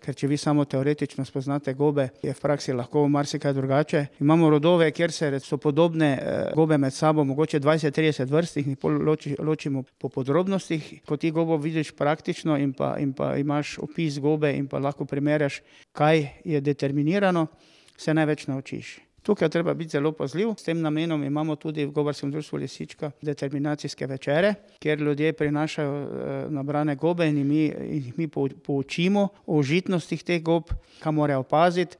ker če vi samo teoretično spoznate gobe, je v praksi lahko marsikaj drugače. Imamo rodove, kjer so podobne gobe med sabo, mogoče 20-30 vrst, jih pol ločimo po podrobnostih. Ko ti gobo vidiš praktično in pa imaš opis gobe in pa lahko primerjaš, kaj je determinirano, se največ naučiš. Tukaj je treba biti zelo pazljiv. S tem namenom imamo tudi v Gobarskem društvu Lisička determinacijske večere, kjer ljudje prinašajo nabrane gobe in mi poučimo o užitnostih teh gob, kaj morajo paziti.